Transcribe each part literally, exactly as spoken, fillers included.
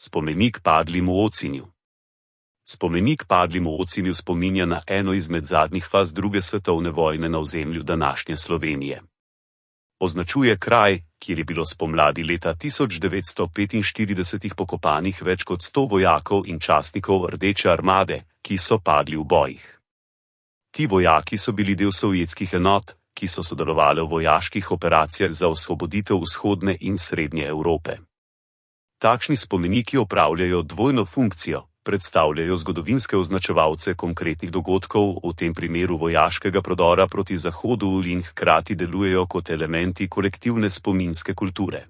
Spomenik padlim v Ocinju. Spomenik padlim v Ocinju spominja na eno izmed zadnjih faz druge svetovne vojne na ozemlju današnje Slovenije. Označuje kraj, kjer je bilo spomladi leta tisoč devetsto petinštirideset pokopanih več kot sto vojakov in častnikov Rdeče armade, ki so padli v bojih. Ti vojaki so bili del sovjetskih enot, ki so sodelovali v vojaških operacijah za osvoboditev vzhodne in srednje Evrope. Takšni spomeniki opravljajo dvojno funkcijo, predstavljajo zgodovinske označevalce konkretnih dogodkov, v tem primeru vojaškega prodora proti Zahodu, in hkrati delujejo kot elementi kolektivne spominske kulture.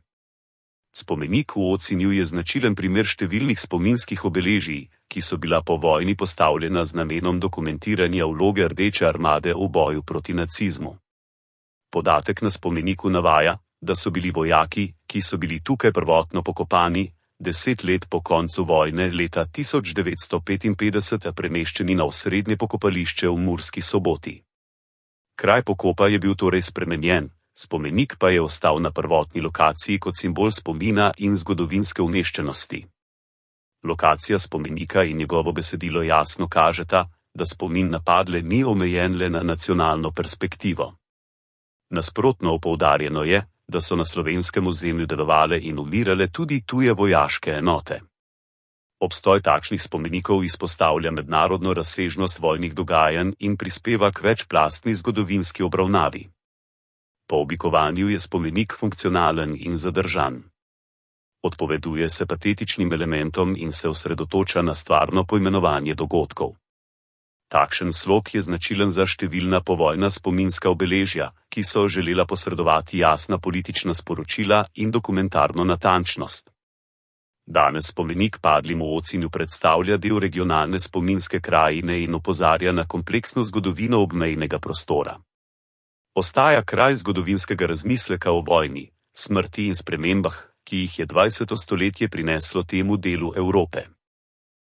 Spomenik v Ocinju je značilen primer številnih spominskih obeležij, ki so bila po vojni postavljena z namenom dokumentiranja vloge Rdeče armade v boju proti nacizmu. Podatek na spomeniku navaja, da so bili vojaki, ki so bili tukaj prvotno pokopani, deset let po koncu vojne leta tisoč devetsto petinpetdeset premeščeni na osrednje pokopališče v Murski Soboti. Kraj pokopa je bil torej spremenjen, spomenik pa je ostal na prvotni lokaciji kot simbol spomina in zgodovinske umeščenosti. Lokacija spomenika in njegovo besedilo jasno kažeta, da spomin na padle ni omejen le na nacionalno perspektivo. Nasprotno poudarjeno je, da so na slovenskem ozemlju delovale in umirale tudi tuje vojaške enote. Obstoj takšnih spomenikov izpostavlja mednarodno razsežnost vojnih dogajanj in prispeva k večplastni zgodovinski obravnavi. Po oblikovanju je spomenik funkcionalen in zadržan. Odpoveduje se patetičnim elementom in se osredotoča na stvarno poimenovanje dogodkov. Takšen slog je značilen za številna povojna spominska obeležja, ki so želela posredovati jasna politična sporočila in dokumentarno natančnost. Danes spomenik padlim v Ocinju predstavlja del regionalne spominske krajine in opozarja na kompleksno zgodovino obmejnega prostora. Ostaja kraj zgodovinskega razmisleka o vojni, smrti in spremembah, ki jih je dvajseto stoletje prineslo temu delu Evrope.